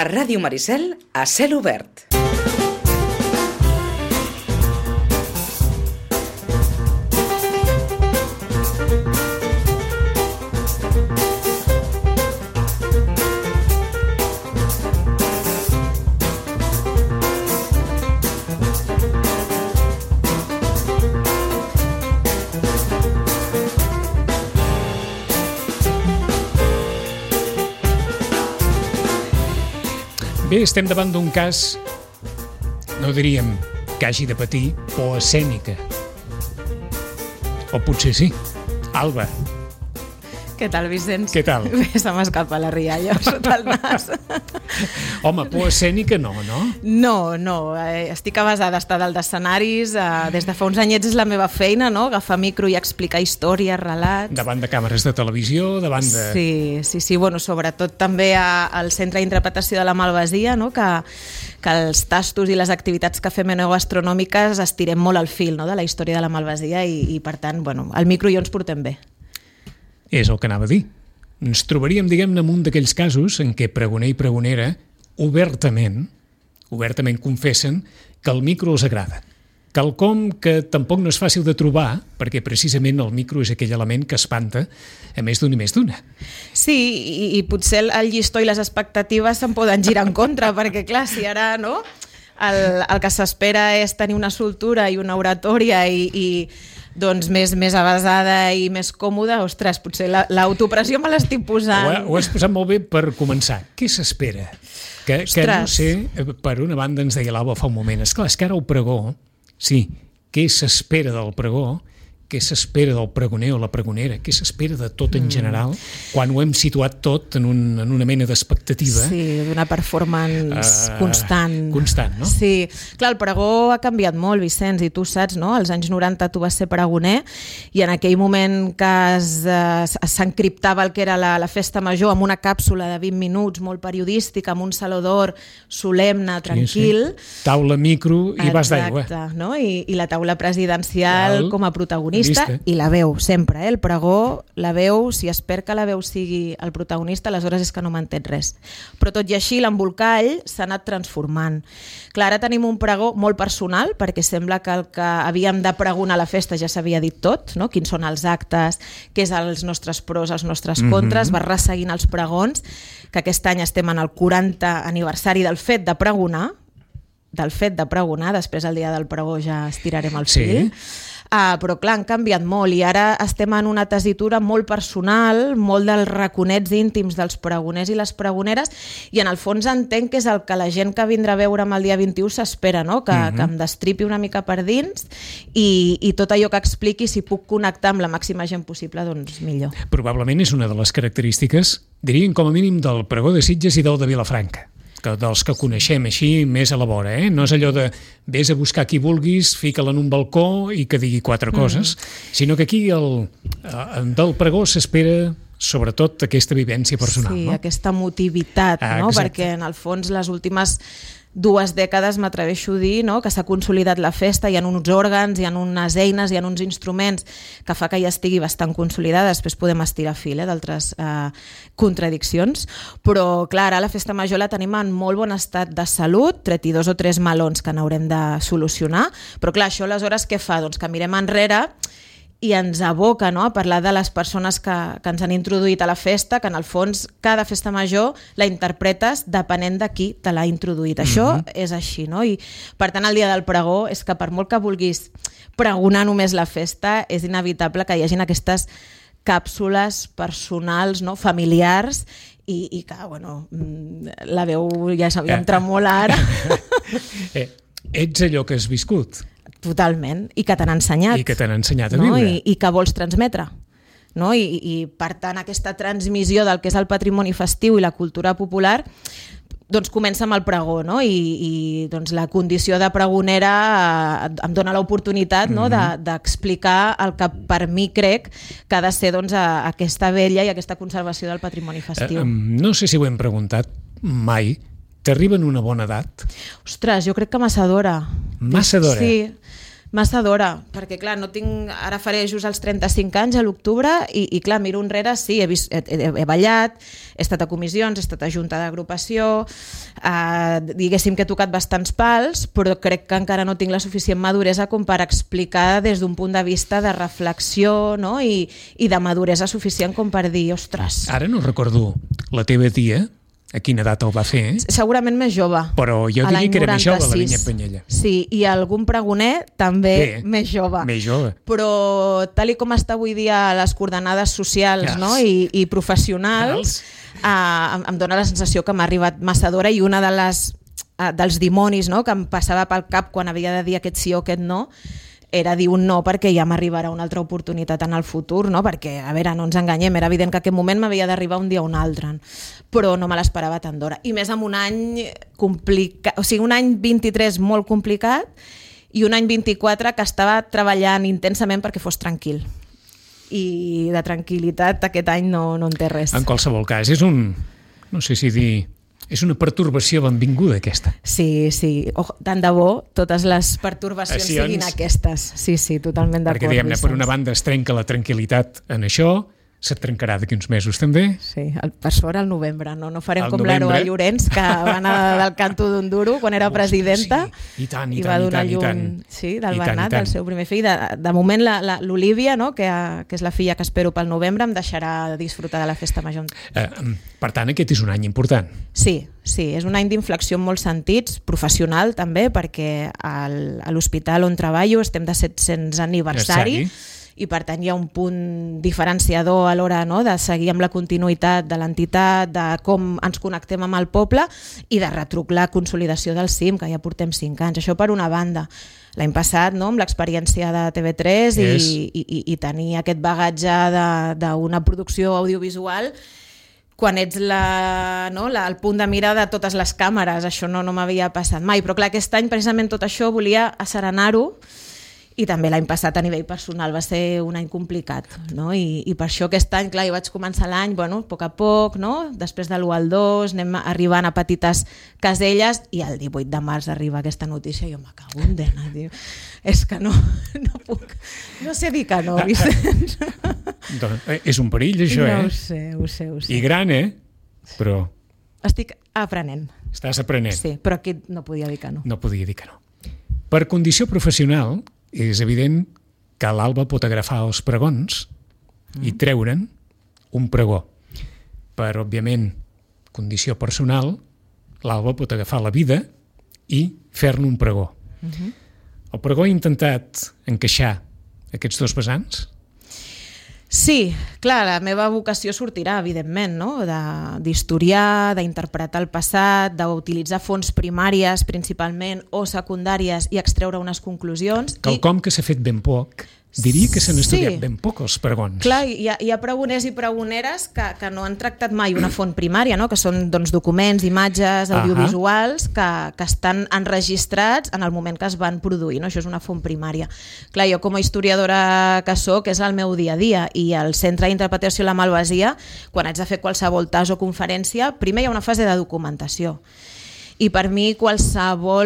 A Ràdio Maricel, a cel obert. Bé, estem davant d'un cas, no diríem que hagi de patir por escènica. O potser sí. Alba. Què tal, Vicenç? Què tal? Bé, se m'escapa la rialla sota el nas. Home, por escènica no, no? No. Estic avasada d'estar dalt d'escenaris. Des de fa uns anyets és la meva feina, no? Agafar micro i explicar històries, relats. Davant de càmeres de televisió, davant de... Sí. Bueno, sobretot també al Centre d'Interpretació de la Malvasia, no? Que els tastos i les activitats que fem enogastronòmiques estirem molt al fil, no? De la història de la Malvasia i per tant, bueno, al micro i jo ens portem bé. És el que anava a dir. Ens trobaríem, diguem-ne, en un d'aquells casos en què pregoner i pregonera obertament confessen que el micro els agrada. Quelcom que tampoc no és fàcil de trobar, perquè precisament el micro és aquell element que espanta a més d'un i més d'una. Sí, i potser el llistó i les expectatives se'n poden girar en contra, perquè clar, si ara no, el que s'espera és tenir una soltura i una oratòria i doncs més avasada i més còmoda, ostres, potser l'autopressió me l'estic posant. Ho has posat molt bé per començar. Què s'espera? Que no sé, per una banda ens deia l'Alba fa un moment, esclar, és que ara el pregó, sí, què s'espera del pregó, què s'espera del pregoner o la pregonera, què s'espera de tot en general, quan ho hem situat tot en una mena d'expectativa. Sí, d'una performance constant. Constant, no? Sí, clar, el pregó ha canviat molt, Vicenç, i tu saps, no? Als anys 90 tu vas ser pregoner i en aquell moment que s'encriptava el que era la festa major amb una càpsula de 20 minuts, molt periodística, amb un saló d'or solemne, tranquil. Sí. Taula, micro i vas d'aigua. Exacte, no? I la taula presidencial com a protagonista. I la veu, sempre, el pregó, la veu, si espera que la veu sigui el protagonista, aleshores és que no m'entén res. Però tot i així, l'embolcall s'ha anat transformant. Clar, ara tenim un pregó molt personal, perquè sembla que el que havíem de pregonar a la festa ja s'havia dit tot, no? Quins són els actes, què és els nostres pros, els nostres contres, va resseguint els pregons, que aquest any estem en el 40 aniversari del fet de pregonar, després el dia del pregó ja estirarem el fil. Sí. Però clar, han canviat molt i ara estem en una tessitura molt personal, molt dels raconets íntims dels pregoners i les pregoneres i en el fons entenc que és el que la gent que vindrà a veure'm el dia 21 s'espera, no? Que em destripi una mica per dins i tot allò que expliqui, si puc connectar amb la màxima gent possible, doncs millor. Probablement és una de les característiques, diríem com a mínim, del pregó de Sitges i del de Vilafranca. Dels que coneixem així més a la vora, no és allò de vés a buscar qui vulguis, fica-la en un balcó i que digui quatre coses, sinó que aquí del pregó s'espera sobretot aquesta vivència personal. Sí, no? Aquesta emotivitat, no? Perquè en el fons les últimes 2 dècades m'atreveixo a dir, no? Que s'ha consolidat la festa, hi ha uns òrgans, hi ha unes eines, hi ha uns instruments que fa que ja estigui bastant consolidada, després podem estirar fil d'altres contradiccions, però clar, ara la festa major la tenim en molt bon estat de salut, tret i 2 o 3 melons que n'haurem de solucionar, però clar, això aleshores què fa? Doncs que mirem enrere i ens aboca, no? A parlar de les persones que ens han introduït a la festa, que en el fons cada festa major la interpretes depenent de qui te l'ha introduït. Això és així, no? I per tant el dia del pregó és que per molt que vulguis pregonar només la festa, és inevitable que hi hagin aquestes càpsules personals, no? Familiars i que, bueno, la veu ja em tremola ara. Ets allò que has viscut. Totalment, i que t'han ensenyat. I que t'han ensenyat a viure. I que vols transmetre. No? I per tant aquesta transmissió del que és el patrimoni festiu i la cultura popular doncs comença amb el pregó, no? I doncs la condició de pregonera em dona l'oportunitat, no? d'explicar el que per mi crec que ha de ser doncs, aquesta vella i aquesta conservació del patrimoni festiu. No sé si ho hem preguntat mai. T'arriba en una bona edat? Ostres, jo crec que massa d'hora. Massa d'hora? Sí. Massa d'hora, perquè clar, no tinc, ara faré just els 35 anys a l'octubre i clar, miro enrere, sí, he ballat, he estat a comissions, he estat a junta d'agrupació, diguéssim que he tocat bastants pals, però crec que encara no tinc la suficient maduresa com per explicar des d'un punt de vista de reflexió, no? I de maduresa suficient com per dir, ostres... Ara no recordo la teva tia, a quina data ho va fer, Segurament més jove. Però jo diria que era més jove, la Vinyet Penyella. Sí, i algun pregoner també més jove. Més jove. Però tal com està avui dia les coordenades socials, no? I professionals, em dóna la sensació que m'ha arribat massa d'hora i una dels dimonis, no? Que em passava pel cap quan havia de dir aquest sí o aquest no era dir un no perquè ja m'arribarà una altra oportunitat en el futur, no? Perquè, a veure, no ens enganyem, era evident que aquest moment m'havia d'arribar un dia o un altre, però no me l'esperava tan d'hora. I més amb un any complicat, o sigui, un any 23 molt complicat i un any 24 que estava treballant intensament perquè fos tranquil. I de tranquil·litat aquest any no en té res. En qualsevol cas, és no sé si dir... És una pertorbació benvinguda, aquesta. Sí. Tant de bo totes les pertorbacions siguin aquestes. Sí, totalment d'acord. Perquè, diguem-ne, per una banda es trenca la tranquil·litat en això, se't trencarà d'aquí uns mesos també. Sí, per sort al novembre, no farem com l'Aroa Llorenç, que va anar del canto d'un duro quan era presidenta i va donar llum del Bernat, el seu primer fill. De moment l'Olívia, que és la filla que espero pel novembre, em deixarà disfrutar de la festa major. Per tant, aquest és un any important. Sí, és un any d'inflexió en molts sentits, professional també, perquè a l'hospital on treballo estem de 700 aniversari, i per tant hi ha un punt diferenciador a l'hora de seguir amb la continuïtat de l'entitat, de com ens connectem amb el poble i de retruc la consolidació del CIM, que ja portem 5 anys. Això per una banda. L'any passat, amb l'experiència de TV3 i tenir aquest bagatge d'una producció audiovisual, quan ets el punt de mira de totes les càmeres, això no m'havia passat mai. Però clar, aquest any precisament tot això volia asserenar-ho. I també l'any passat a nivell personal va ser un any complicat, no? I per això aquest any, clar, jo vaig començar l'any, a poc a poc, no? Després de l'1 al 2, anem arribant a petites caselles i el 18 de març arriba aquesta notícia i jo me cago en dena, tio. És que no puc, no sé dir que no, Vicenç. És un perill, això, Ho sé. I gran, però... Estic aprenent. Estàs aprenent. Sí, però aquí no podia dir que no. No podia dir que no. Per condició professional, és evident que l'Alba pot agafar els pregons i treure'n un pregó. Per, òbviament, condició personal, l'Alba pot agafar la vida i fer-ne un pregó. El pregó ha intentat encaixar aquests dos vessants? Sí, clar, la meva vocació sortirà, evidentment, d'historiar, d'interpretar el passat, d'utilitzar fonts primàries principalment o secundàries i extreure unes conclusions. Quelcom que s'ha fet ben poc. Diria que s'han estudiat ben poc els pregons. Clar, hi ha pregoners i pregoneres que no han tractat mai una font primària, que són documents, imatges, audiovisuals que estan enregistrats en el moment que es van produir. Això és una font primària. Clar, jo com a historiadora que soc, és el meu dia a dia, i al Centre d'Interpretació La Malvasia, quan haig de fer qualsevol tas o conferència, primer hi ha una fase de documentació. I per mi qualsevol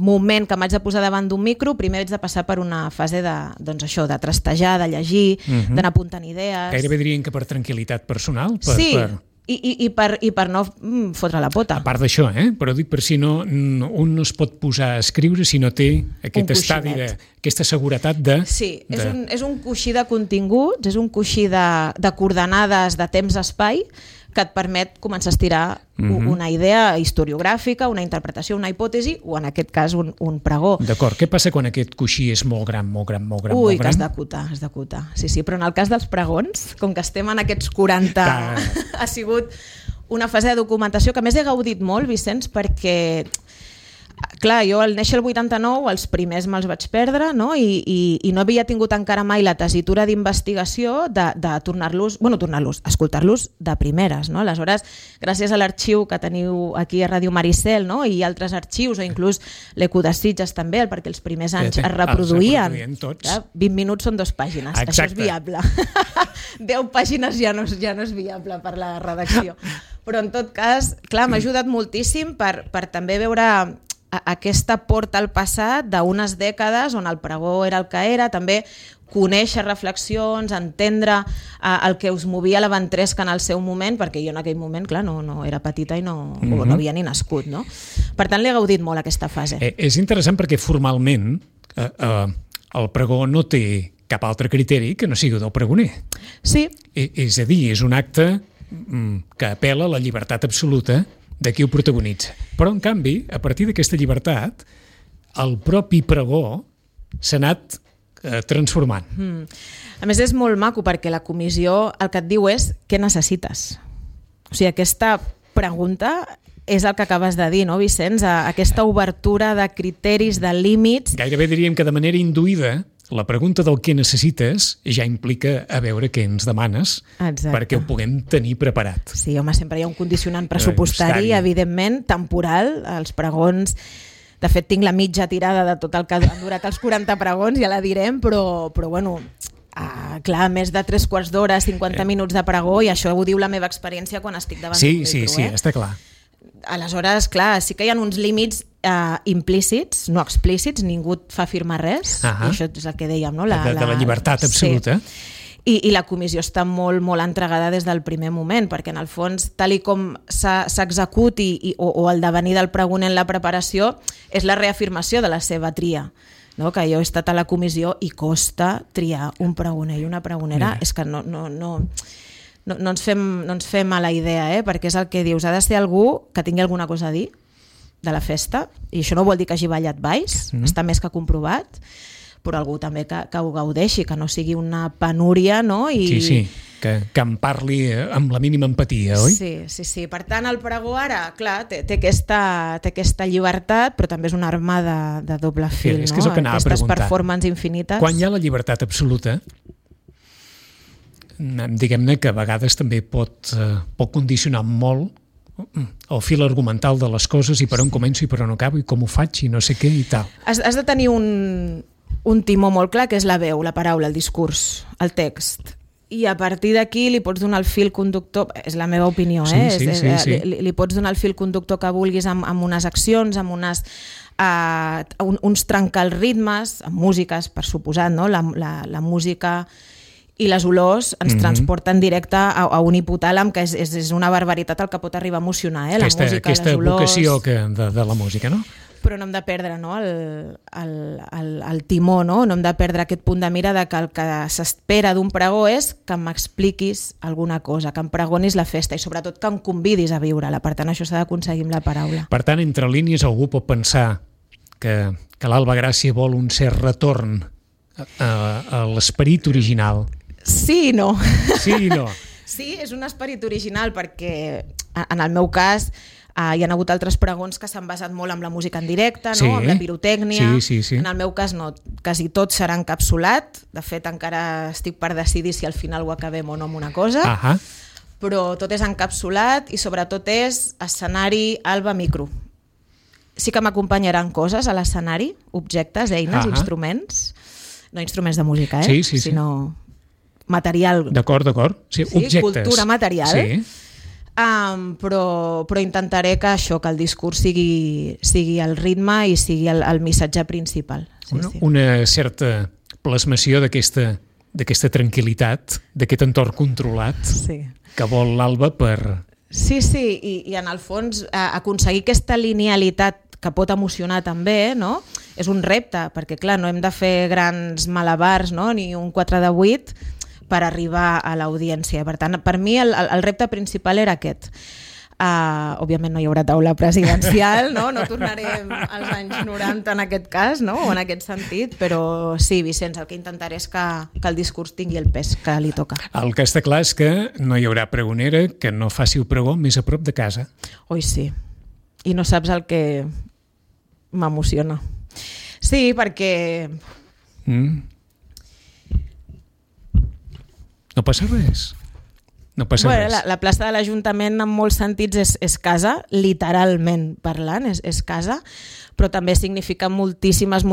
moment que m'haig de posar davant d'un micro, primer haig de passar per una fase de trastejar, de llegir, d'anar apuntant idees. Gairebé dirien que per tranquil·litat personal? Sí, i per no fotre la pota. A part d'això, però dic per si un no es pot posar a escriure si no té aquest estadi, aquesta seguretat de... Sí, és un coixí de continguts, és un coixí de coordenades de temps-espai que et permet començar a estirar una idea historiogràfica, una interpretació, una hipòtesi, o en aquest cas un pregó. D'acord, què passa quan aquest coixí és molt gran? Ui, que has d'acotar. Sí, però en el cas dels pregons, com que estem en aquests 40, ha sigut una fase de documentació que a més he gaudit molt, Vicenç, perquè... Clar, jo al néixer el 89 els primers me'ls vaig perdre, i no havia tingut encara mai la tessitura d'investigació de escoltar-los de primeres. Aleshores, gràcies a l'arxiu que teniu aquí a Ràdio Maricel, i altres arxius, o inclús l'Eco de Sitges també, perquè els primers anys es reproduïen. 20 minuts són 2 pàgines, exacte. Això és viable. 10 pàgines ja no és viable per la redacció. Però en tot cas, clar, m'ha ajudat moltíssim per també veure aquesta porta al passat d'unes dècades on el pregó era el que era, també conèixer reflexions, entendre el que us movia la ventresca en el seu moment, perquè jo en aquell moment, clar, no era petita i no havia ni nascut, no? Per tant, l'he gaudit molt aquesta fase. És interessant perquè formalment el pregó no té cap altre criteri que no sigui del pregoner. Sí. És a dir, és un acte que apel·la a la llibertat absoluta de qui ho protagonitza. Però, en canvi, a partir d'aquesta llibertat, el propi pregó s'ha anat transformant. A més, és molt maco perquè la comissió el que et diu és què necessites. O sigui, aquesta pregunta és el que acabes de dir, no, Vicenç? Aquesta obertura de criteris, de límits... Gairebé diríem que de manera induïda la pregunta del què necessites ja implica a veure què ens demanes. Exacte. Perquè ho puguem tenir preparat. Sí, home, sempre hi ha un condicionant pressupostari, evidentment, temporal, els pregons... De fet, tinc la mitja tirada de tot el que han durat els 40 pregons, ja la direm, però bueno, clar, més de 3/4 d'hora, 50 minuts de pregó, i això ho diu la meva experiència quan estic davant d'un micro. Sí, està clar. Aleshores, clar, sí que hi ha uns límits implícits, no explícits, ningú et fa firmar res, i això és el que dèiem, no? De la llibertat absoluta. Sí. I la comissió està molt, molt entregada des del primer moment, perquè en el fons, tal i com s'executi o el devenir del pregoner en la preparació, és la reafirmació de la seva tria. No? Que jo he estat a la comissió i costa triar un pregoner i una pregonera. És que no ens fem a la idea, perquè és el que dius, ha de ser algú que tingui alguna cosa a dir de la festa, i això no vol dir que hagi ballat balls, està més que comprovat, però algú també que ho gaudeixi, que no sigui una penúria, no? Sí, que em parli amb la mínima empatia, oi? Sí. Per tant, el pregó ara, clar, té aquesta llibertat, però també és una arma de doble fil, no? És que és el que anava a preguntar. Aquestes performances infinites. Quan hi ha la llibertat absoluta, diguem-ne que a vegades també pot condicionar molt el fil argumental de les coses i per on començo i per on acabo i com ho faig i no sé què i tal. Has de tenir un timó molt clar, que és la veu, la paraula, el discurs, el text. I a partir d'aquí li pots donar el fil conductor, és la meva opinió, Sí. Li pots donar el fil conductor que vulguis amb unes accions, amb uns trencar els ritmes, amb músiques, per suposat, no? La música i les olors ens transporten directe a un hipotàlam, que és una barbaritat el que pot arribar a emocionar, la música, aquesta les olors... vocació de la música, no? Però no hem de perdre, no, el timó, no hem de perdre aquest punt de mira de que el que s'espera d'un pregó és que m'expliquis alguna cosa, que em pregonis la festa i sobretot que em convidis a viure-la. Per tant, això s'ha d'aconseguir amb la paraula. Per tant, entre línies algú pot pensar que l'Alba Gràcia vol un cert retorn a l'esperit original. Sí i no. Sí i no. Sí, és un esperit original perquè en el meu cas hi ha hagut altres pregons que s'han basat molt en la música en directe, no? Amb la pirotècnia. Sí. En el meu cas no, quasi tot serà encapsulat. De fet, encara estic per decidir si al final ho acabem o no amb una cosa. Però tot és encapsulat i sobretot és escenari, Alba, micro. Sí que m'acompanyaran coses a l'escenari, objectes, eines, instruments. No instruments de música, sinó material. D'acord. Sí, objectes. Cultura material. Sí. Però intentaré que el discurs sigui el ritme i sigui el missatge principal. Una certa plasmació d'aquesta tranquil·litat, d'aquest entorn controlat que vol l'Alba per... Sí, i en el fons aconseguir aquesta linealitat que pot emocionar també, no? És un repte, perquè clar, no hem de fer grans malabars, no? Ni un 4 de 8 per arribar a l'audiència. Per tant, per mi el repte principal era aquest. Òbviament no hi haurà taula presidencial, no tornarem als anys 90 en aquest cas, no? O en aquest sentit, però sí, Vicenç, el que intentaré és que el discurs tingui el pes que li toca. El que està clar és que no hi haurà pregonera que no faci el pregó més a prop de casa. Oi, sí. I no saps el que m'emociona. Sí, perquè... No passa res. La plaça de l'Ajuntament en molts sentits és casa, literalment parlant, és casa, però també significa moltíssimes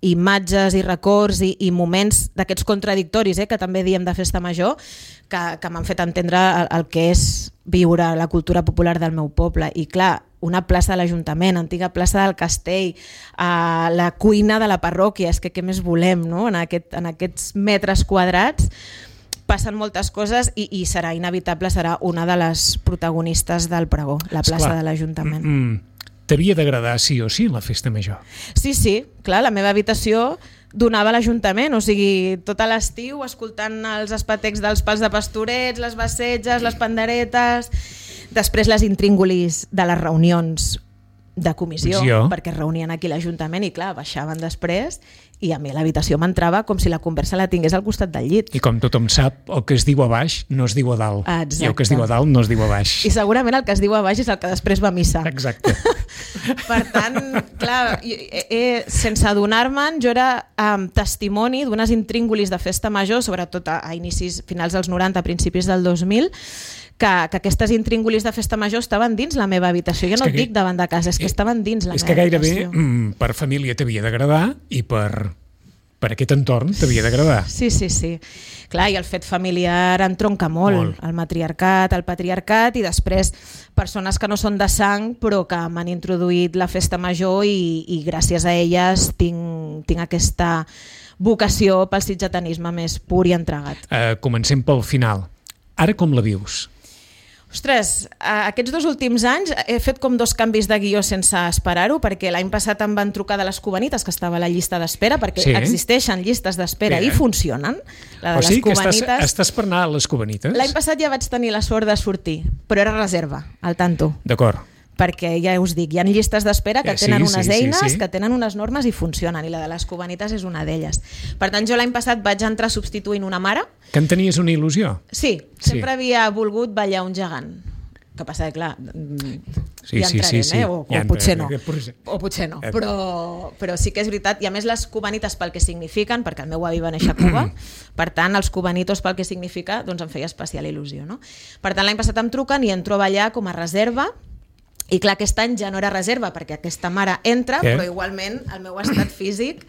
imatges i records i moments d'aquests contradictoris, que també diem de festa major, que m'han fet entendre el que és viure la cultura popular del meu poble. I clar, una plaça de l'Ajuntament, antiga plaça del Castell, la cuina de la parròquia, és que què més volem, no? En aquests metres quadrats passen moltes coses i serà inevitable, serà una de les protagonistes del pregó, la plaça de l'Ajuntament. T'havia d'agradar sí o sí la festa major? Sí, clar, la meva habitació donava a l'Ajuntament, o sigui, tot l'estiu escoltant els espetecs dels pals de pastorets, les bassetges, les panderetes, després les intríngulis de les reunions de comissió, perquè es reunien aquí a l'Ajuntament i clar, baixaven després i a mi l'habitació m'entrava com si la conversa la tingués al costat del llit. I com tothom sap, el que es diu a baix no es diu a dalt. Exacte. I el que es diu a dalt no es diu a baix. I segurament el que es diu a baix és el que després va a missa. Exacte. Per tant, clar, sense adonar-me'n, jo era testimoni d'unes intríngulis de festa major, sobretot a inicis, finals dels 90, principis del 2000, que aquestes intríngulis de festa major estaven dins la meva habitació. Jo no et dic davant de casa, és que estaven dins la meva habitació. És que gairebé per família t'havia d'agradar i per aquest entorn t'havia d'agradar. Sí. Clar, i el fet familiar entronca molt. El matriarcat, el patriarcat i després persones que no són de sang però que m'han introduït la festa major i gràcies a elles tinc aquesta vocació pel sitgetanisme més pur i entregat. Comencem pel final. Ara com la vius? Ostres, aquests 2 últims anys he fet com 2 canvis de guió sense esperar-ho, perquè l'any passat em van trucar de les Cubanites, que estava a la llista d'espera, perquè existeixen llistes d'espera i funcionen. La de les Cubanites... que estàs per anar a les Cubanites? L'any passat ja vaig tenir la sort de sortir, però era reserva, al tanto. D'acord. Perquè ja us dic, hi ha llistes d'espera que tenen unes eines, que tenen unes normes i funcionen, i la de les Cubanites és una d'elles. Per tant, jo l'any passat vaig entrar substituint una mare. Que en tenies una il·lusió? Sí, sempre havia volgut ballar un gegant. Que passa que, clar, ja entrarem, o potser no. O potser no, però sí que és veritat. I a més les Cubanites pel que signifiquen, perquè el meu avi va néixer a Cuba, per tant els Cubanitos pel que significa, doncs em feia especial il·lusió, no? Per tant l'any passat em truquen i entro a ballar com a reserva. I clar, aquest any ja no era reserva perquè aquesta mare entra, però igualment el meu estat físic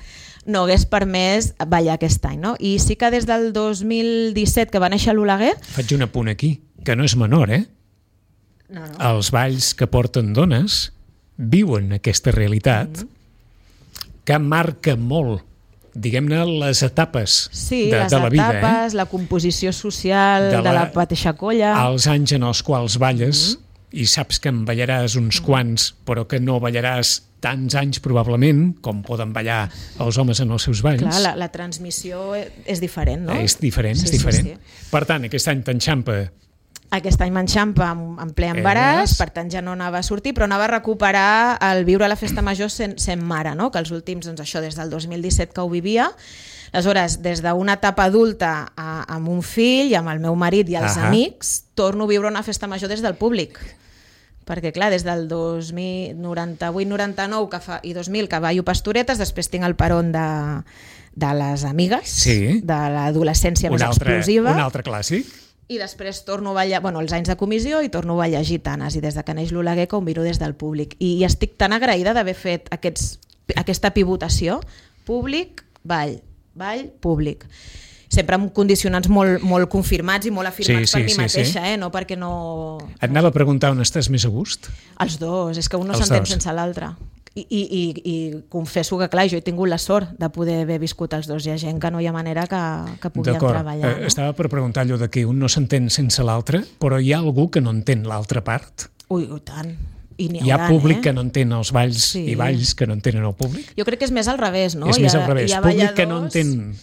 no hagués permès ballar aquest any, no? I sí que des del 2017 que va néixer l'Oleguer... Faig un apunt aquí, que no és menor, No. Els balls que porten dones viuen aquesta realitat que marca molt, diguem-ne, les etapes de la vida. Sí, les etapes, la composició social de la mateixa colla... Els anys en els quals balles... i saps que en ballaràs uns quants, però que no ballaràs tants anys probablement, com poden ballar els homes en els seus balls. Clar, la transmissió és diferent, no? És diferent, és diferent. Sí. Per tant, aquest any t'enxampa... Aquest any m'enxampa en ple embaràs, per tant ja no anava a sortir, però anava a recuperar el viure la festa major sent mare, no? Que els últims, doncs això, des del 2017 que ho vivia. Aleshores, des d'una etapa adulta amb un fill, amb el meu marit i els amics, torno a viure una festa major des del públic. Perquè clar, des del 98-99 i 2000 que ballo pastoretes, després tinc el peron de les amigues, de l'adolescència més explosiva. Un altre clàssic. I després torno a ballar, els anys de comissió, i torno a ballar gitanes, i des de que neix l'Oleguer que ho miro des del públic. I estic tan agraïda d'haver fet aquesta pivotació, públic, ball, públic. Sempre amb condicionants molt confirmats i molt afirmats per mi mateixa, no perquè no... Et anava a preguntar on estàs més a gust? Els dos, és que un no s'entén sense l'altre. I confesso que, clar, jo he tingut la sort de poder haver viscut els dos. Hi ha gent que no hi ha manera que puguin treballar. No? Estava per preguntar allò de que un no s'entén sense l'altre, però hi ha algú que no entén l'altra part? Ui, tant. Hi ha públic que no entén els balls i balls que no entenen el públic? Jo crec que és més al revés, no? És més al revés, públic que no entén...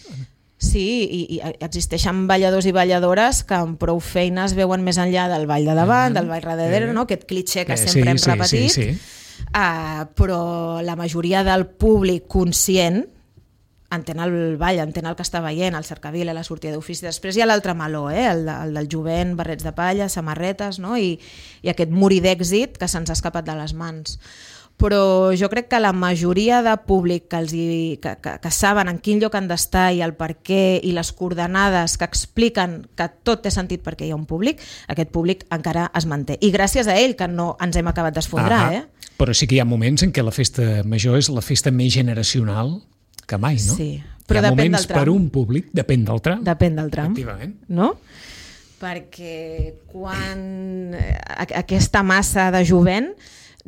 Sí, i existeixen balladors i balladores que amb prou feines veuen més enllà del ball de davant, del ball darrere, no? Aquest clitxé que sempre hem repetit. Però la majoria del públic conscient entén el ball, entén el que està veient, el cercavila, la sortida d'ofici. Després hi ha l'altre meló, el del jovent, barrets de palla, samarretes, no? I aquest morir d'èxit que se'ns ha escapat de les mans. Però jo crec que la majoria de públic que saben en quin lloc han d'estar i el per què i les coordenades que expliquen que tot té sentit perquè hi ha un públic, aquest públic encara es manté. I gràcies a ell que no ens hem acabat d'esfondrar. Però sí que hi ha moments en què la festa major és la festa més generacional que mai, no? Sí, però depèn del tram. Per un públic, depèn del tram. Depèn del tram, efectivament. No? Perquè quan aquesta massa de jovent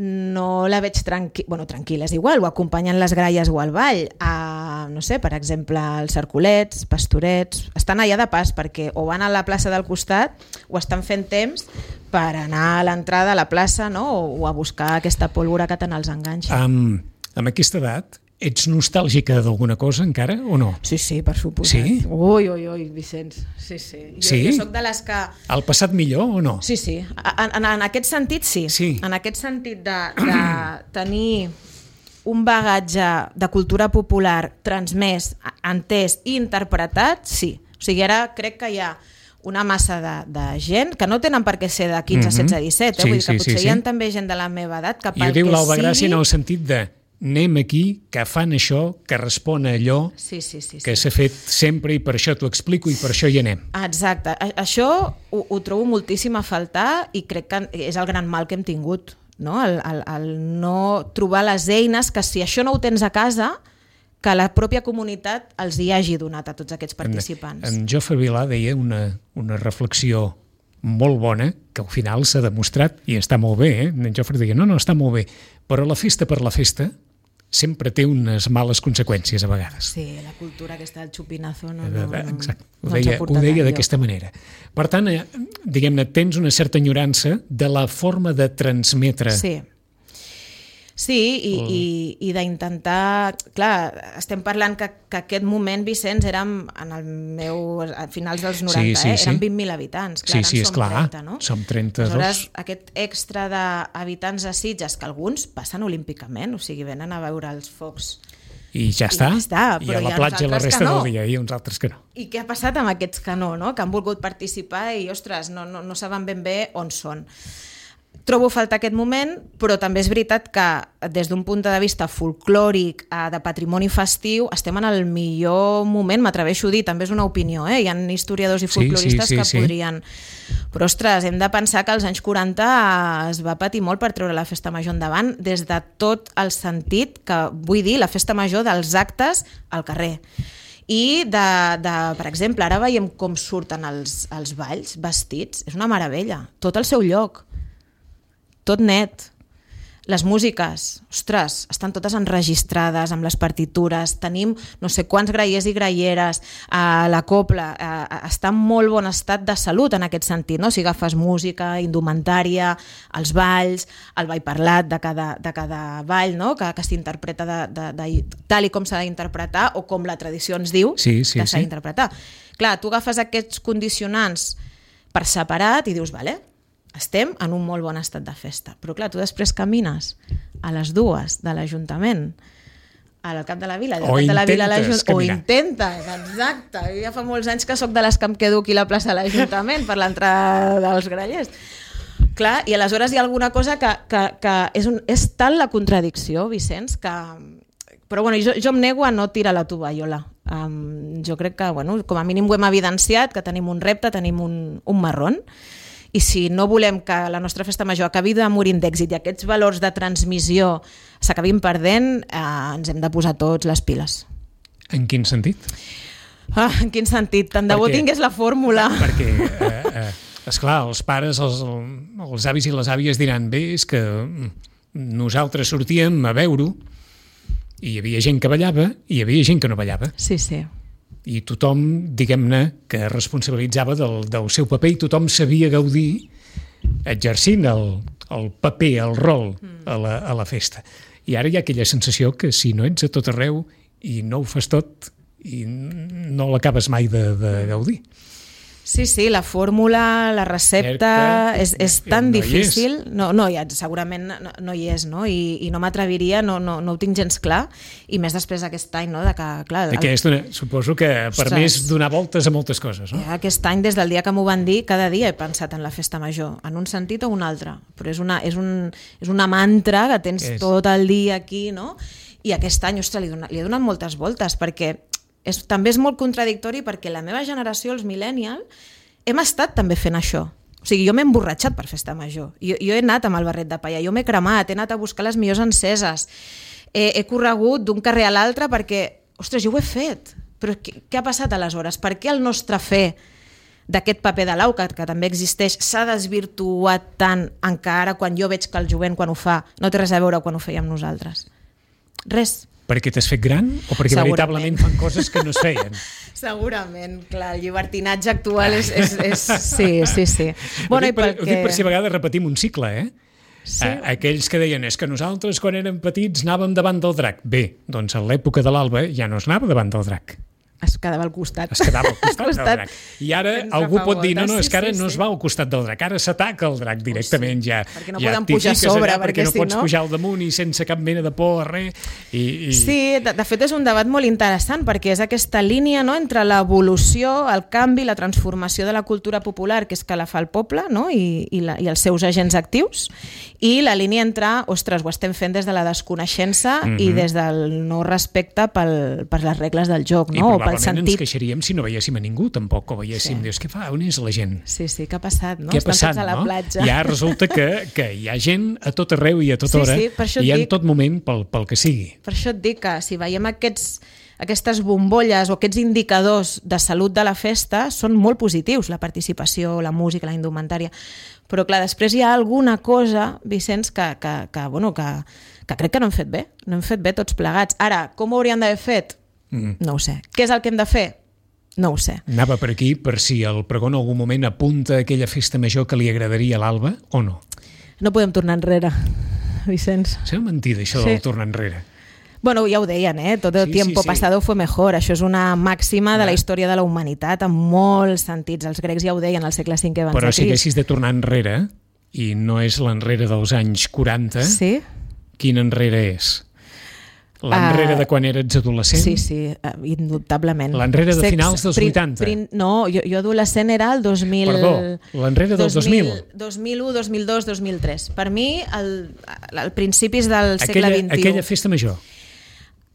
no la veig tranquil·la, és igual, o acompanyen les gralles o al ball, no sé, per exemple, els cercolets, pastorets, estan allà de pas perquè o van a la plaça del costat o estan fent temps per anar a l'entrada a la plaça, no? O a buscar aquesta pólvora que tant els enganxa. Amb aquesta edat, ets nostàlgica d'alguna cosa encara o no? Sí, per suposat. Sí? Ui, Vicenç. Sí. Jo soc de les que... El passat millor o no? Sí. En aquest sentit, sí. En aquest sentit de tenir un bagatge de cultura popular transmès, entès i interpretat, sí. O sigui, ara crec que hi ha una massa de gent que no tenen per què ser de 15, 16, 17, vull dir que potser hi ha també gent de la meva edat que pel que sigui... I ho diu l'Alba Gràcia en el sentit de anem aquí, que fan això, que respon a allò que s'ha fet sempre i per això t'ho explico i per això hi anem. Exacte. Això ho trobo moltíssim a faltar i crec que és el gran mal que hem tingut, no? El no trobar les eines que si això no ho tens a casa, que la pròpia comunitat els hi hagi donat a tots aquests participants. En Jofre Vilà deia una reflexió molt bona, que al final s'ha demostrat, i està molt bé, En Jofre deia, no, està molt bé, però la festa per la festa sempre té unes males conseqüències a vegades. Sí, la cultura aquesta del xupinazo Exacte, ho deia d'aquesta manera. Per tant, diguem-ne, tens una certa enyorança de la forma de transmetre. Sí, i d'intentar... Clar, estem parlant que aquest moment, Vicenç, érem a finals dels 90, eren 20.000 habitants. Clar, sí, és clar, 30, no? Som 32. Aleshores, aquest extra d'habitants a Sitges, que alguns passen olímpicament, o sigui, venen a veure els focs. I ja està. I a la platja la resta del dia, i uns altres que no. I què ha passat amb aquests que no? Que han volgut participar i, ostres, no saben ben bé on són. Trobo a faltar aquest moment, però també és veritat que des d'un punt de vista folclòric, de patrimoni festiu, estem en el millor moment, m'atreveixo a dir, també és una opinió, hi ha historiadors i folcloristes que podrien... Però, ostres, hem de pensar que als anys 40 es va patir molt per treure la festa major endavant, des de tot el sentit que, vull dir, la festa major dels actes al carrer. I, per exemple, ara veiem com surten els balls vestits, és una meravella, tot al seu lloc. Tot net. Les músiques, ostres, estan totes enregistrades amb les partitures, tenim no sé quants grallers i gralleres, la copla està en molt bon estat de salut en aquest sentit, no? Si agafes música, indumentària, els balls, el ball parlat de cada ball, no? Que s'interpreta tal i com s'ha d'interpretar o com la tradició ens diu que s'ha d'interpretar. Clar, tu agafes aquests condicionants per separat i dius, vale, estem en un molt bon estat de festa. Però clar, tu després camines a les 2 de l'Ajuntament al cap de la vila, o intentes, exacte. Jo ja fa molts anys que sóc de les que em quedo aquí a la plaça de l'Ajuntament per l'entrada dels grallers. Clar, i aleshores hi ha alguna cosa que és tal la contradicció, Vicenç, que... Però bueno, jo em nego a no tirar la tovallola. Jo crec que, com a mínim ho hem evidenciat, que tenim un repte, tenim un marrón, i si no volem que la nostra festa major acabi de morir d'èxit i aquests valors de transmissió s'acabin perdent, ens hem de posar tots les piles. En quin sentit? En quin sentit? Tant de bo tingués la fórmula. Perquè, esclar, els pares, els avis i les àvies diran, bé, és que nosaltres sortíem a veure-ho i hi havia gent que ballava i hi havia gent que no ballava. Sí. I tothom, diguem-ne, que responsabilitzava del seu paper i tothom sabia gaudir exercint el paper, el rol a la festa. I ara hi ha aquella sensació que si no ets a tot arreu i no ho fas tot i no l'acabes mai de gaudir. Sí, la fórmula, la recepta és tan difícil. Segurament no hi és, no? I no m'atreviria, no ho tinc gens clar, i més després d'aquest any, no? Suposo que ha permès donar voltes a moltes coses, no? Aquest any, des del dia que m'ho van dir, cada dia he pensat en la festa major, en un sentit o un altre, però és una mantra que tens tot el dia aquí, no? I aquest any, ostres, li he donat moltes voltes, perquè també és molt contradictori, perquè la meva generació, els millennials, hem estat també fent això. O sigui, jo m'he emborratxat per festa major. Jo he anat amb el barret de palla, jo m'he cremat, he anat a buscar les millors enceses, he corregut d'un carrer a l'altre perquè, ostres, jo ho he fet. Però què ha passat aleshores? Per què el nostre fer d'aquest paper de l'au, que també existeix, s'ha desvirtuat tant encara quan jo veig que el jovent quan ho fa no té res a veure quan ho fèiem nosaltres. Res. Perquè t'has fet gran o perquè veritablement fan coses que no es feien? Segurament, clar, el llibertinatge actual és... Sí. Bueno, ho dic per si a vegades repetim un cicle, Sí. Aquells que deien és que nosaltres quan érem petits anàvem davant del drac. Bé, doncs a l'època de l'Alba ja no es anava davant del drac. Es quedava al costat. Es quedava al costat del drac. I ara algú pot dir, no, és que ara no es va al costat del drac, ara s'ataca el drac directament ja. Perquè no poden pujar a sobre, perquè no pots pujar al damunt i sense cap mena de por, res. Sí, de fet és un debat molt interessant, perquè és aquesta línia entre l'evolució, el canvi, la transformació de la cultura popular, que és que la fa el poble, i els seus agents actius, i la línia entre, ostres, ho estem fent des de la desconeixença i des del no respecte per les regles del joc, no? I probablement ens queixaríem si no veiéssim a ningú, tampoc, o veiéssim, dius, què fa, on és la gent? Sí, què ha passat, no? Què ha passat, a la platja. Ja resulta que hi ha gent a tot arreu i a tota hora, i en tot moment pel que sigui. Per això et dic que si veiem aquestes bombolles o aquests indicadors de salut de la festa són molt positius, la participació, la música, la indumentària, però clar, després hi ha alguna cosa, Vicenç, que crec que no hem fet bé, tots plegats. Ara, com ho hauríem d'haver fet? No ho sé. Què és el que hem de fer? No ho sé. Anava per aquí per si el pregó en algun moment apunta a aquella festa major que li agradaria a l'Alba o no. No podem tornar enrere, Vicenç. Sembla mentida això del tornar enrere. Bueno, ja ho deien, tot el tiempo pasado fue mejor. Això és una màxima de la història de la humanitat en molts sentits. Els grecs ja ho deien al segle V abans de Crist. Però si haguessis de tornar enrere, i no és l'enrere dels anys 40, quin enrere és? L'enrere de quan eres adolescent? Sí, indubtablement. L'enrere de finals dels 80? No, jo adolescent era el 2000... Perdó, l'enrere del 2000? 2001, 2002, 2003. Per mi, al principis del segle XXI. Aquella festa major?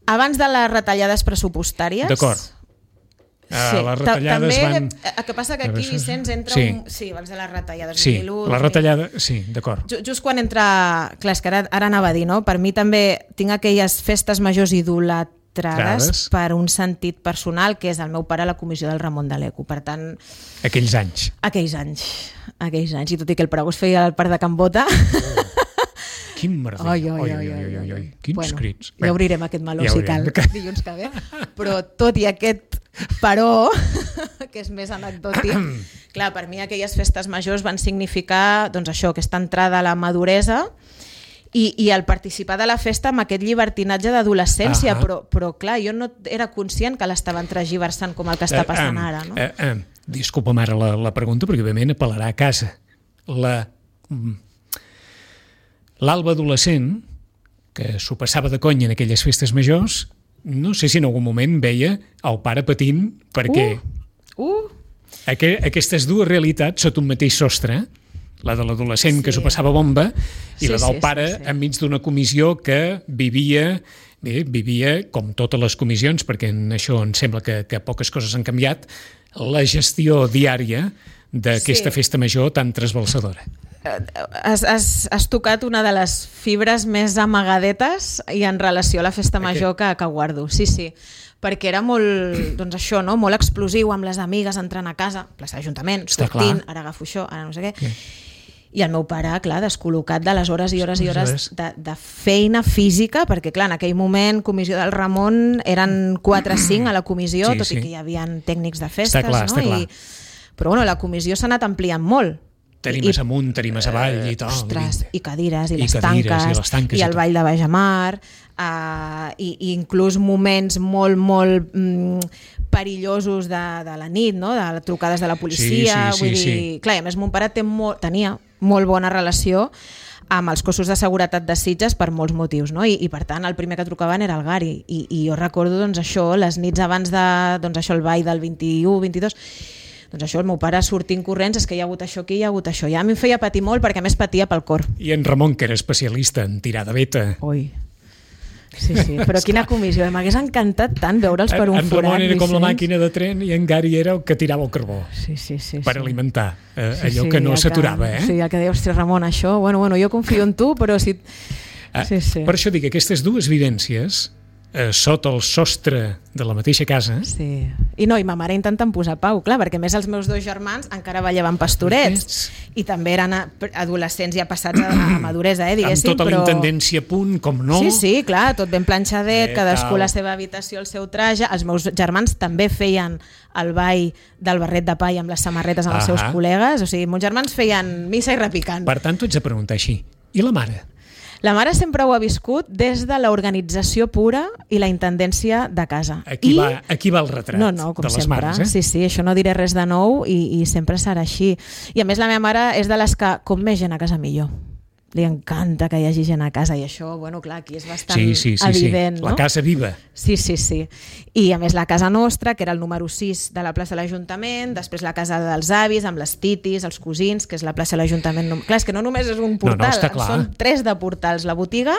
Abans de les retallades pressupostàries. D'acord. Sí, les retallades també, van... el que passa que aquí, Vicenç, entra Sí, abans de les retallades. Sí, la retallada, sí, d'acord. Just quan entra... Clar, és que ara anava a dir, no? Per mi també tinc aquelles festes majors idolatrades per un sentit personal, que és el meu pare a la comissió del Ramon de l'Eco. Per tant... Aquells anys. I tot i que el pregó es feia al Parc de Can Bota... Quin merder. Oi. Quins crits. Ja obrirem aquest meló si cal dilluns que ve. Però tot i aquest però, que és més anecdòtic, clar, per mi aquelles festes majors van significar doncs això, aquesta entrada a la maduresa i el participar de la festa amb aquest llibertinatge d'adolescència, però clar, jo no era conscient que l'estaven transgiversant com el que està passant ara. No? Disculpa'm ara la pregunta, perquè òbviament apel·larà a casa. L'Alba adolescent, que s'ho passava de conya en aquelles festes majors, no sé si en algun moment veia el pare patint perquè aquestes dues realitats sota un mateix sostre, la de l'adolescent que s'ho passava bomba i la del pare enmig d'una comissió que vivia com totes les comissions, perquè en això em sembla que poques coses han canviat, la gestió diària d'aquesta festa major tan trasbalsadora. Has tocat una de les fibres més amagadetes i en relació a la festa major que guardo. Sí, perquè era molt, doncs això, no? Molt explosiu, amb les amigues entrant a casa, plaça d'Ajuntament, sortint, ara agafo això, ara no sé què. I el meu pare, clar, descol·locat de les hores i hores i hores de feina física, perquè clar, en aquell moment, comissió del Ramon, eren 4 o 5 a la comissió, tot i que hi havia tècnics de festes, no? Però bueno, la comissió s'ha anat ampliant molt. Tarimes amunt, tarimes avall i tal. Ostres, i cadires, i les tanques, i el ball de Bajamar, i inclús moments molt perillosos de la nit, no? De trucades de la policia. Vull dir, clar, a més mon pare tenia molt bona relació amb els cossos de seguretat de Sitges per molts motius, no? I per tant el primer que trucaven era el Gari, i jo recordo doncs això, les nits abans de el ball del 21, 22, doncs això, el meu pare sortint corrents, és que hi ha hagut això aquí, hi ha hagut això. Ja a mi em feia patir molt perquè a més patia pel cor. I en Ramon, que era especialista en tirar de veta. Ui. Sí, però quina comissió. M'hagués encantat tant veure'ls per un forat. En Ramon era com la màquina de tren i en Gari era el que tirava el carbó. Sí. Per alimentar allò que no s'aturava. Sí, el que deia, ostres, Ramon, això... Bueno, jo confio en tu, però si... Per això dic que aquestes dues vivències sota el sostre de la mateixa casa. Sí. I ma mare intentant posar pau, clar, perquè més els meus 2 germans encara ballaven pastorets i també eren adolescents ja passats a maduresa, diguéssim. Amb tota la intendència a punt, com no. Sí, clar, tot ben planxadet, cadascú a la seva habitació, el seu traje. Els meus germans també feien el ball del barret de pa i amb les samarretes amb els seus col·legues. O sigui, meus germans feien missa i repicant. Per tant, t'ho ets de preguntar així. I la mare? La mare sempre ho ha viscut des de l'organització pura i la intendència de casa. Aquí va el retrat com de les sempre. mares. Sí, això no diré res de nou i sempre serà així. I a més la meva mare és de les que, com més gent a casa millor. Li encanta que hi hagi gent a casa i això, bueno, clar, aquí és bastant evident. La casa viva. Sí. I a més la casa nostra, que era el número 6 de la plaça de l'Ajuntament, després la casa dels avis, amb les titis, els cosins, que és la plaça de l'Ajuntament. Clar, és que no només és un portal, són 3 de portals, la botiga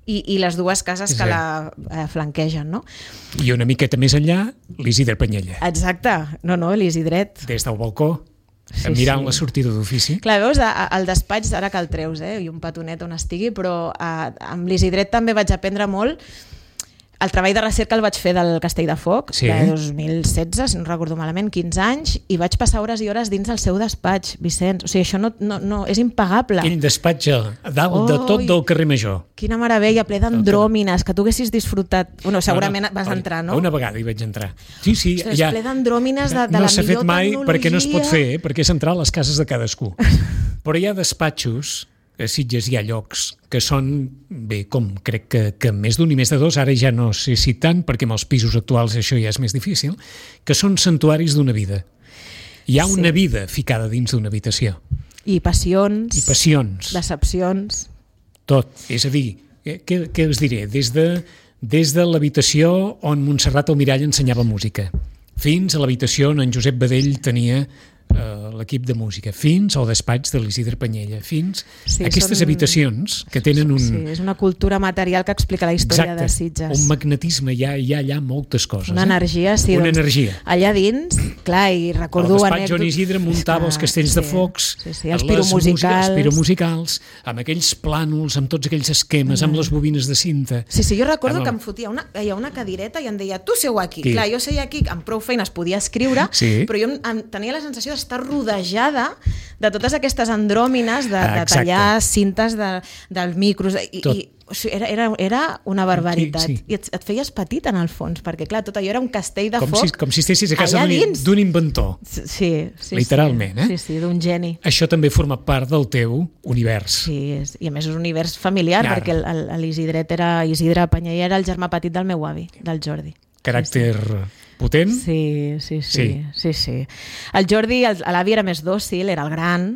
i les 2 cases que la flanquegen, no? I una miqueta més enllà, l'Isidre Panyella. Exacte, l'Isidret. Des del balcó, mirant la sortida d'ofici. Clar, veus, al despatx, ara que el treus, i un petonet on estigui, però amb l'Isidret també vaig aprendre molt. El treball de recerca el vaig fer del Castell de Foc, de 2016, si no recordo malament, 15 anys, i vaig passar hores i hores dins el seu despatx, Vicenç. O sigui, això no és impagable. Aquell despatx a dalt de tot del carrer Major. Quina meravella, ple d'andròmines, que tu haguessis disfrutat. Bueno, segurament vas entrar, no? Una vegada hi vaig entrar. Sí, ostres, ple d'andròmines de la millor tecnologia. No s'ha fet mai perquè no es pot fer, perquè és entrar a les cases de cadascú. Però hi ha despatxos, a Sitges hi ha llocs que són, bé, com crec que més d'un i més de 2, ara ja no sé si tant, perquè amb els pisos actuals això ja és més difícil, que són santuaris d'una vida. Hi ha una vida ficada dins d'una habitació. I passions. Decepcions. Tot. És a dir, què us diré? Des de l'habitació on Montserrat Almirall ensenyava música, fins a l'habitació on en Josep Badell tenia l'equip de música, fins al despatx de l'Isidre Panyella, fins a aquestes habitacions que tenen un... Sí, és una cultura material que explica la història de Sitges. Un magnetisme, hi ha allà moltes coses. Una energia, sí. Una energia. Allà dins, clar, i recordo... El despatx on Isidre muntava els castells de focs, els piromusicals, amb aquells plànols, amb tots aquells esquemes, amb les bobines de cinta. Sí, jo recordo que em fotia una cadireta i em deia, tu seu aquí. Clar, jo seia aquí, amb prou feines podia escriure, però jo tenia la sensació d'estar rodejada de totes aquestes andròmines de tallar cintes dels micros era una barbaritat i et feies petit en el fons perquè clar, tot allò era un castell de foc com si estessis a casa d'un inventor literalment, sí, d'un geni. Això també forma part del teu univers. Sí, i a més és un univers familiar perquè l'Isidret era Isidre Panyella, era el germà petit del meu avi, del Jordi. Caràcter potent? Sí. El Jordi, l'avi era més dòcil, era el gran,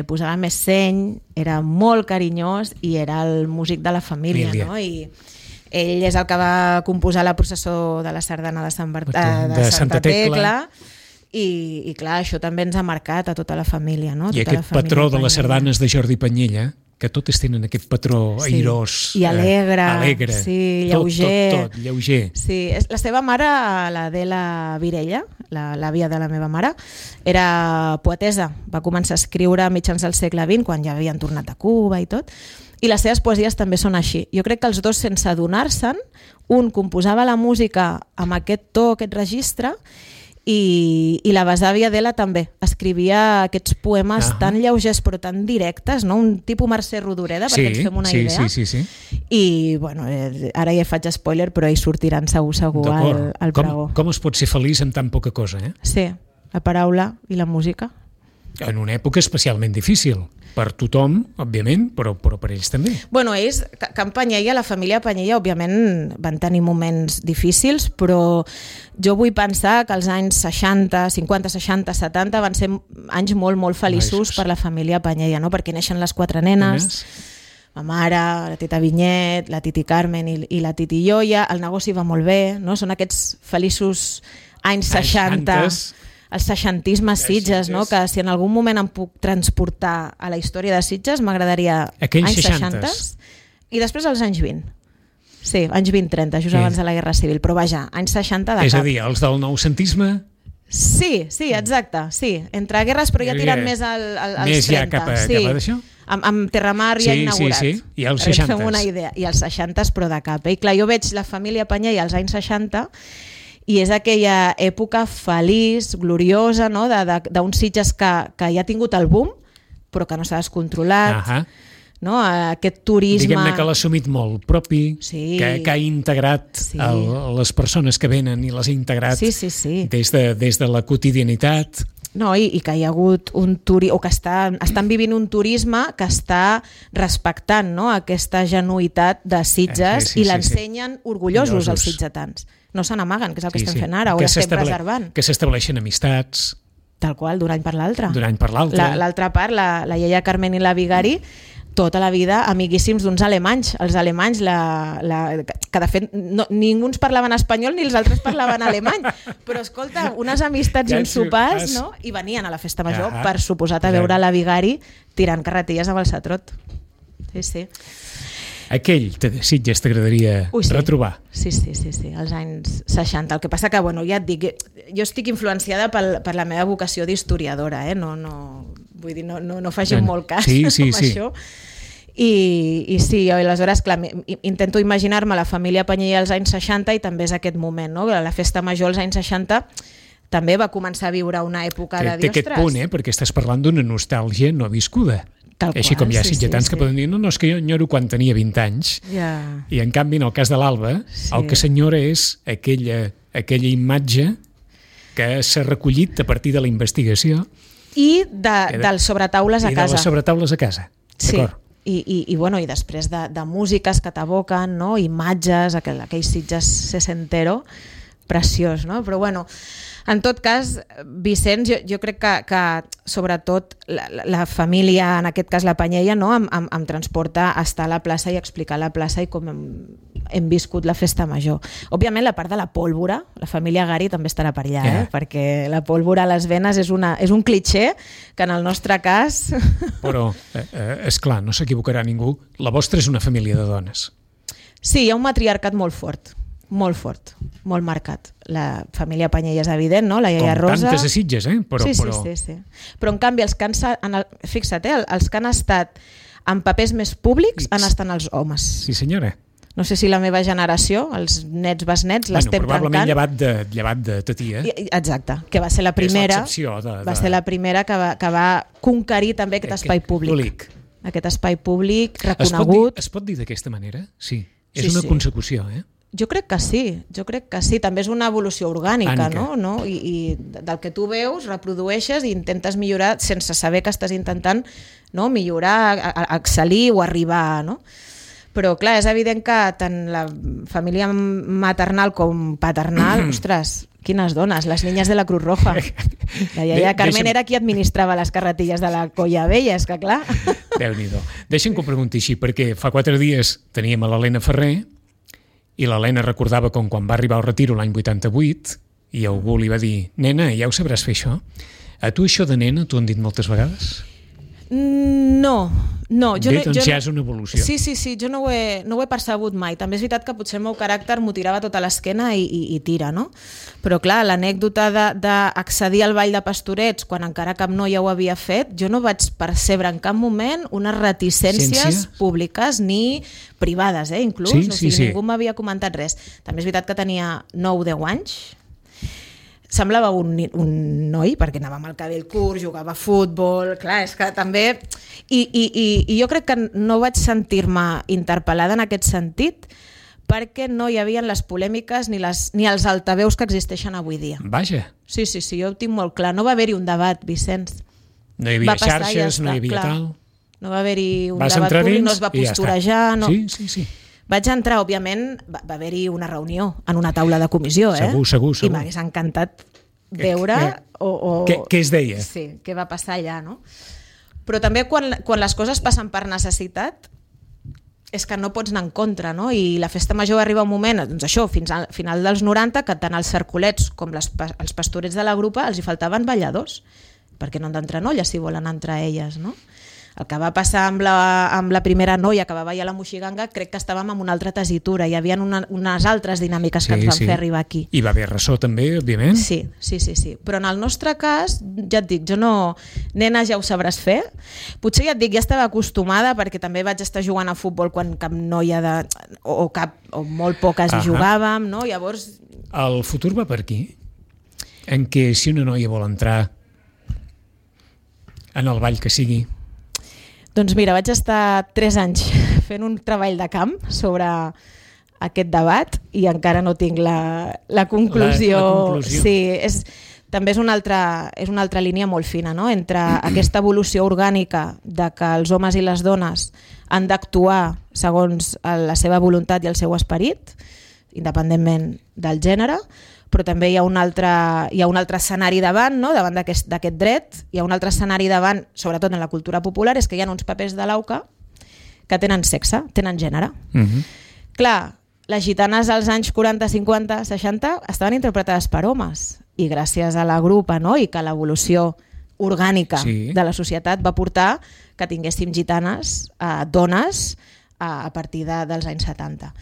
posava més seny, era molt carinyós i era el músic de la família, no? I ell és el que va composar la processó de la sardana de Santa Tecla i clar, això també ens ha marcat a tota la família, no? I aquest patró de les sardanes de Jordi Panyella, que totes tenen aquest patró airós i alegre, sí, lleuger. Tot, lleuger. Sí, la seva mare, l'Adela Virella, l'àvia de la meva mare, era poetesa, va començar a escriure a mitjans del segle XX, quan ja havien tornat a Cuba i tot, i les seves poesies també són així. Jo crec que els dos, sense adonar-se'n, un composava la música amb aquest to, aquest registre, i la besàvia Adela també escrivia aquests poemes tan lleugers però tan directes, no? Un tipus Mercè Rodoreda, perquè ens fem una idea. Sí. I bueno, ara ja faig spoiler, però hi sortiran segur al pregó. Com es pot ser feliç amb tan poca cosa, Sí, la paraula i la música. En una època especialment difícil. Per tothom, òbviament, però per ells també. Bueno, ells, Can Panyella, la família Panyella, òbviament van tenir moments difícils, però jo vull pensar que els anys 60, 50, 60, 70 van ser anys molt, molt feliços per la família Panyella, no? Perquè neixen les 4 nenes, ma mare, la tita Vinyet, la titi Carmen i la titi Ioia, el negoci va molt bé, no? Són aquests feliços anys 60... El seixantisme a Sitges, no? Que si en algun moment em puc transportar a la història de Sitges, m'agradaria anys 60 i després als anys 20. Sí, anys 20-30, just abans de la Guerra Civil, però vaja, anys 60 de cap. És a dir, els del noucentisme? Sí, exacte, sí. Entre guerres, però ja tirant més als 30. Més ja cap a d'això? amb Terramar ja inaugurat. Sí. I als 60s. Fem una idea. I als 60s, però de cap. I clar, jo veig la família Panyella als anys 60 i és aquella època feliç, gloriosa, no? D'uns Sitges que ja ha tingut el boom, però que no s'ha descontrolat. No? Aquest turisme... Diguem-ne que l'ha assumit molt propi, que ha integrat les persones que venen i les ha integrat des de la quotidianitat. No, i que hi ha hagut o que estan vivint un turisme que està respectant, no? Aquesta genuïtat de Sitges i l'ensenyen orgullosos els sitgetans. No se n'amaguen, que és el que estem fent ara, ho estem preservant. Que s'estableixen amistats. Tal qual, d'un any per l'altre. D'un any per l'altre. L'altra part, la iaia Carmen i la Vigari, tota la vida amiguíssims d'uns alemanys. Els alemanys, que de fet ningú ens parlaven espanyol ni els altres parlaven alemany, però escolta, unes amistats i uns sopars, no? I venien a la festa major, per suposat, a veure la Vigari tirant carretilles amb el Satrot. Sí. Aquell Sitges t'agradaria retrobar? Sí, als anys 60. El que passa que, bueno, ja et dic, jo estic influenciada per la meva vocació d'historiadora, vull dir, no faci molt cas amb això. I sí, aleshores, clar, intento imaginar-me la família Panyella als anys 60 i també és aquest moment, no? La festa major als anys 60 també va començar a viure una època de dir, ostres... Té aquest punt, perquè estàs parlant d'una nostàlgia no viscuda. Així com hi ha sitgetans que poden dir no, és que jo enyoro quan tenia 20 anys. I en canvi, en el cas de l'Alba, el que s'enyora és aquella imatge que s'ha recollit a partir de la investigació. I dels sobretaules a casa. I de les sobretaules a casa, d'acord? I després de músiques que t'aboquen, no? Imatges, aquell Sitges sesentero, preciós, no? Però bueno, en tot cas, Vicenç, jo crec que sobretot la família, en aquest cas la Panyella, no? em transporta a estar a la plaça i explicar la plaça i com hem viscut la festa major. Òbviament la part de la pólvora, la família Gari també estarà per allà, perquè la pólvora a les venes és un clitxé que en el nostre cas... Però, és clar, no s'equivocarà ningú, la vostra és una família de dones. Sí, hi ha un matriarcat molt fort, molt marcat. La família Panyella és evident, no? La iaia Rosa... Com tantes a Sitges, Sí. Però en canvi, els que han estat en papers més públics han estat els homes. Sí, senyora. No sé si la meva generació, els nets, besnets, l'estem trencant. Probablement llevat de ta tia. Exacte, que va ser la primera, va ser la primera que va conquerir també aquest espai públic. Aquest espai públic reconegut. Es pot dir d'aquesta manera? Sí. És una consecució, Jo crec que sí, també és una evolució orgànica, no? I del que tu veus, reprodueixes i intentes millorar sense saber que estàs intentant millorar, excel·lir o arribar, no? Però clar, és evident que tant la família maternal com paternal, ostres, quines dones, les niñas de la Cruz Roja. La iaia Carmen era qui administrava les carretilles de la Colla Vella, és que clar. Déu-n'hi-do. Deixa'm que ho pregunti així, perquè fa 4 dies teníem a l'Helena Ferrer i l'Helena recordava com quan va arribar al retiro l'any 88 i algú li va dir, nena, ja ho sabràs fer això? A tu això de nena t'ho han dit moltes vegades? No. Ja és una evolució. Sí, jo no ho he percebut mai. També és veritat que potser el meu caràcter m'ho tirava tota l'esquena i tira, no? Però clar, l'anècdota d'accedir al Ball de Pastorets quan encara cap noia ho havia fet, jo no vaig percebre en cap moment unes reticències públiques ni privades, inclús. Ningú m'havia comentat res. També és veritat que tenia 9 o 10 anys. Semblava un noi, perquè anava amb el cabell curt, jugava a futbol, clar, és que també... I jo crec que no vaig sentir-me interpel·lada en aquest sentit perquè no hi havia les polèmiques ni els altaveus que existeixen avui dia. Vaja. Sí, jo ho tinc molt clar. No va haver-hi un debat, Vicenç. No hi havia xarxes, no hi havia tal... No va haver-hi un debat públic, no es va posturejar... Sí. Vaig entrar, òbviament, va haver-hi una reunió en una taula de comissió, Segur. I m'hagués encantat veure... Què es deia? Sí, què va passar allà, no? Però també quan les coses passen per necessitat és que no pots anar en contra, no? I la festa major arriba un moment, doncs això, fins al final dels 90, que tant els cercolets com els pastorets de la grupa els hi faltaven balladors, perquè no han d'entrar nolles si volen entrar elles, no? El que va passar amb la primera noia que va ballar la Moixiganga, crec que estàvem en una altra tessitura, hi havia unes altres dinàmiques que ens van fer arribar aquí. I va haver ressò també, òbviament? Sí. Però en el nostre cas, ja et dic, jo no... Nena, ja ho sabràs fer. Potser ja et dic, ja estava acostumada perquè també vaig estar jugant a futbol quan cap noia o molt poques jugàvem, no? Llavors... El futur va per aquí? En què si una noia vol entrar en el ball que sigui... Doncs mira, vaig estar 3 anys fent un treball de camp sobre aquest debat i encara no tinc la conclusió. La conclusió. Sí, també és una altra línia molt fina, no? Entre aquesta evolució orgànica de que els homes i les dones han d'actuar segons la seva voluntat i el seu esperit, independentment del gènere, però també hi ha un altre escenari davant, no? Davant d'aquest dret, hi ha un altre escenari davant, sobretot en la cultura popular, és que hi ha uns papers de l'AUCA que tenen sexe, tenen gènere. Clar, les gitanes als anys 40, 50, 60 estaven interpretades per homes i gràcies a la grupa, no? I que l'evolució orgànica de la societat va portar que tinguéssim gitanes, dones, a partir dels anys 70.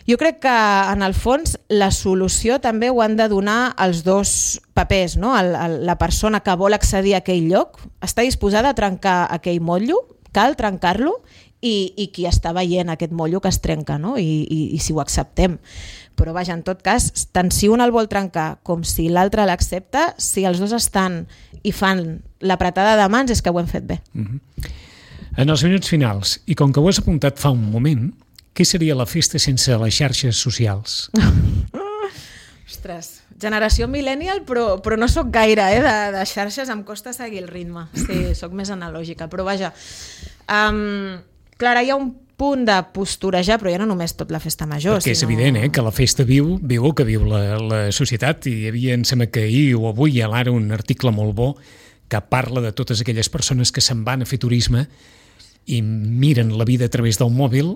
Jo crec que, en el fons, la solució també ho han de donar els dos papers, no? La persona que vol accedir a aquell lloc està disposada a trencar aquell motllo, cal trencar-lo, i qui està veient aquest motllo que es trenca, no? I si ho acceptem. Però vaja, en tot cas, tant si un el vol trencar com si l'altre l'accepta, si els dos estan i fan l'apretada de mans és que ho hem fet bé. En els minuts finals, i com que ho has apuntat fa un moment, què seria la festa sense les xarxes socials? Ostres, generació millennial, però no sóc gaire, de xarxes, em costa seguir el ritme. Sí, sóc més analògica, però vaja. Clar, hi ha un punt de posturejar, però ja no només tot la festa major. Perquè és evident que la festa viu el que viu la societat, i hi havia, em sembla que ahir o avui a l'Ara un article molt bo que parla de totes aquelles persones que se'n van a fer turisme i miren la vida a través del mòbil,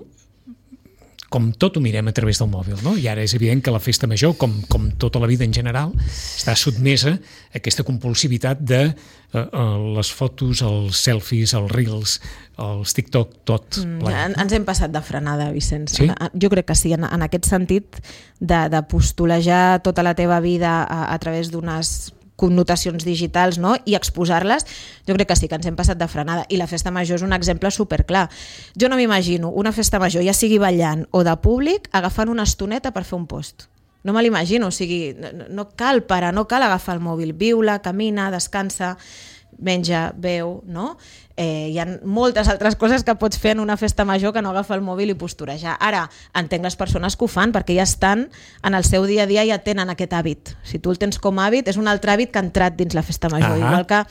com tot ho mirem a través del mòbil, no? I ara és evident que la festa major, com tota la vida en general, està sotmesa a aquesta compulsivitat de les fotos, els selfies, els reels, els TikTok, tot. Ens hem passat de frenada, Vicenç. Sí? Jo crec que sí, en aquest sentit de postulejar tota la teva vida a través d'unes connotacions digitals, no? I exposar-les, jo crec que sí, que ens hem passat de frenada. I la festa major és un exemple superclar. Jo no m'imagino una festa major, ja sigui ballant o de públic, agafant una estoneta per fer un post. No me l'imagino, o sigui, no cal parar, no cal agafar el mòbil. Viu-la, camina, descansa, menja, beu, no? Hi ha moltes altres coses que pots fer en una festa major que no agafar el mòbil i posturejar. Ara, entenc les persones que ho fan perquè ja estan en el seu dia a dia, ja tenen aquest hàbit. Si tu el tens com a hàbit, és un altre hàbit que ha entrat dins la festa major. Igual que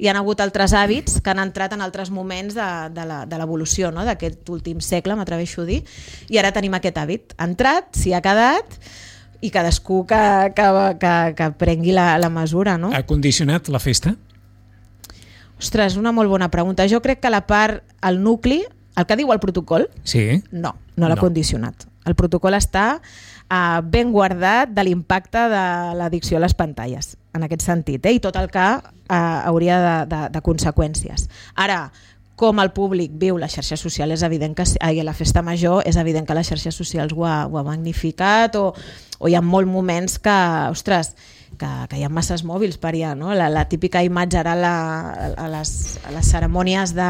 hi ha hagut altres hàbits que han entrat en altres moments de l'evolució, no? D'aquest últim segle, m'atreveixo a dir, i ara tenim aquest hàbit. Ha entrat, s'hi ha quedat, i cadascú que prengui la mesura, no? Ha condicionat la festa? Ostres, una molt bona pregunta. Jo crec que la part, el nucli, el que diu el protocol, no l'ha condicionat. El protocol està ben guardat de l'impacte de l'addicció a les pantalles, en aquest sentit, i tot el que hauria de conseqüències. Ara, com el públic viu les xarxes socials, és evident que la festa major és evident que les xarxes socials ho ha magnificat, o hi ha molts moments que, ostres, que hi ha masses mòbils per allà, no? La típica imatge ara a les cerimònies de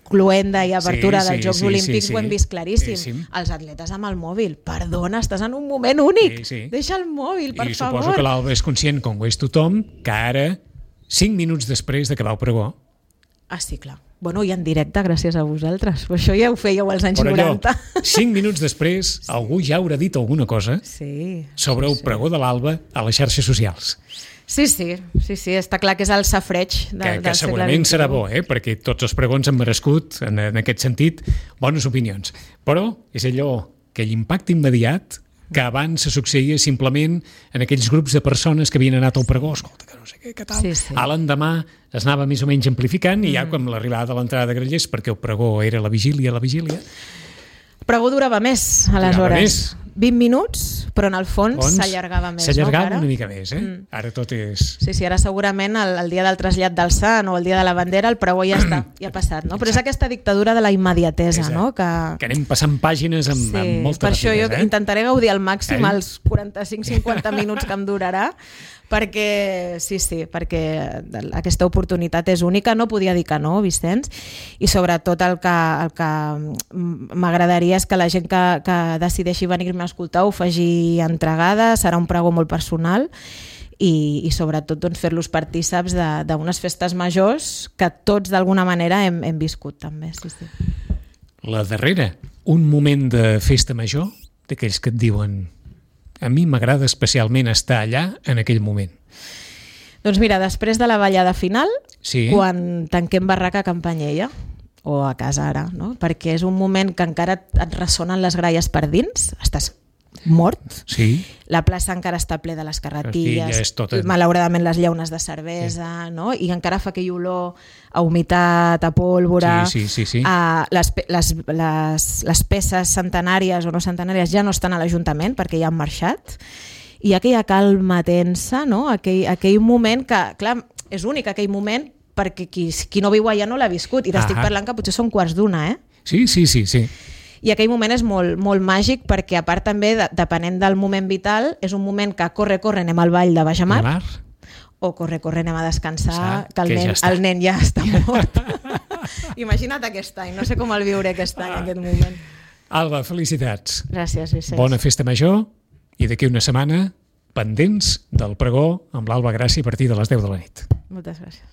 cloenda i apertura dels Jocs Olímpics ho hem vist claríssim. Els atletes amb el mòbil. Perdona, estàs en un moment únic. Deixa el mòbil, per favor. I suposo que l'Alba és conscient, com ho és tothom, que ara, 5 minuts després d'acabar el pregó... Ah, sí, clar. Bueno, i en directe, gràcies a vosaltres. Això ja ho fèieu als anys 90. 5 minuts després, algú ja haurà dit alguna cosa sobre el pregó de l'Alba a les xarxes socials. Sí, està clar que és el safreig del segle XXI. Que segurament serà bo, perquè tots els pregons han merescut, en aquest sentit, bones opinions. Però és allò que l'impacte immediat que abans se succeïa simplement en aquells grups de persones que havien anat al pregó, escolta, que no sé què tal. A l'endemà es anava més o menys amplificant i ja com l'arribada de l'entrada de Grallers, perquè el pregó era la vigília. El pregó durava més, aleshores. 20 minuts, però en el fons s'allargava més. S'allargava una mica més, Ara tot és... Sí, ara segurament el dia del trasllat del Sant o el dia de la bandera el pregó ja està, ja ha passat, no? Però és aquesta dictadura de la immediatesa, no? Que anem passant pàgines amb molta rapidesa. Per això jo intentaré gaudir al màxim els 45-50 minuts que em durarà, perquè perquè aquesta oportunitat és única, no podia dir que no, Vicenç, i sobretot el que m'agradaria és que la gent que decideixi venir-me a escoltar ho faci entregada, serà un pregó molt personal i sobretot doncs, fer-los partíceps d'unes festes majors que tots d'alguna manera hem viscut també. La darrera, un moment de festa major, d'aquells que et diuen a mi m'agrada especialment estar allà en aquell moment. Doncs mira, després de la ballada final, quan tanquem barraca a Can Panyella, o a casa ara, no? Perquè és un moment que encara et ressonen les gralles per dins, estàs mort, la plaça encara està ple de les carretilles, malauradament les llaunes de cervesa, no? I encara fa aquell olor a humitat, a pólvora, les peces centenàries o no centenàries ja no estan a l'Ajuntament perquè ja han marxat, i hi ha aquella calma tensa, no? Aquell moment que, clar, és únic aquell moment perquè qui no viu allà no l'ha viscut, i t'estic parlant que potser són 1:15, Sí. I aquell moment és molt, molt màgic perquè, a part també, depenent del moment vital, és un moment que corre, anem al ball de Baixamar, o corre, anem a descansar, que el nen ja està mort. Imagina't aquest any, no sé com el viuré aquest any, aquest moment. Alba, felicitats. Gràcies, Vicenç. Bona festa major, i d'aquí una setmana, pendents del pregó amb l'Alba Gràcia a partir de les 10 de la nit. Moltes gràcies.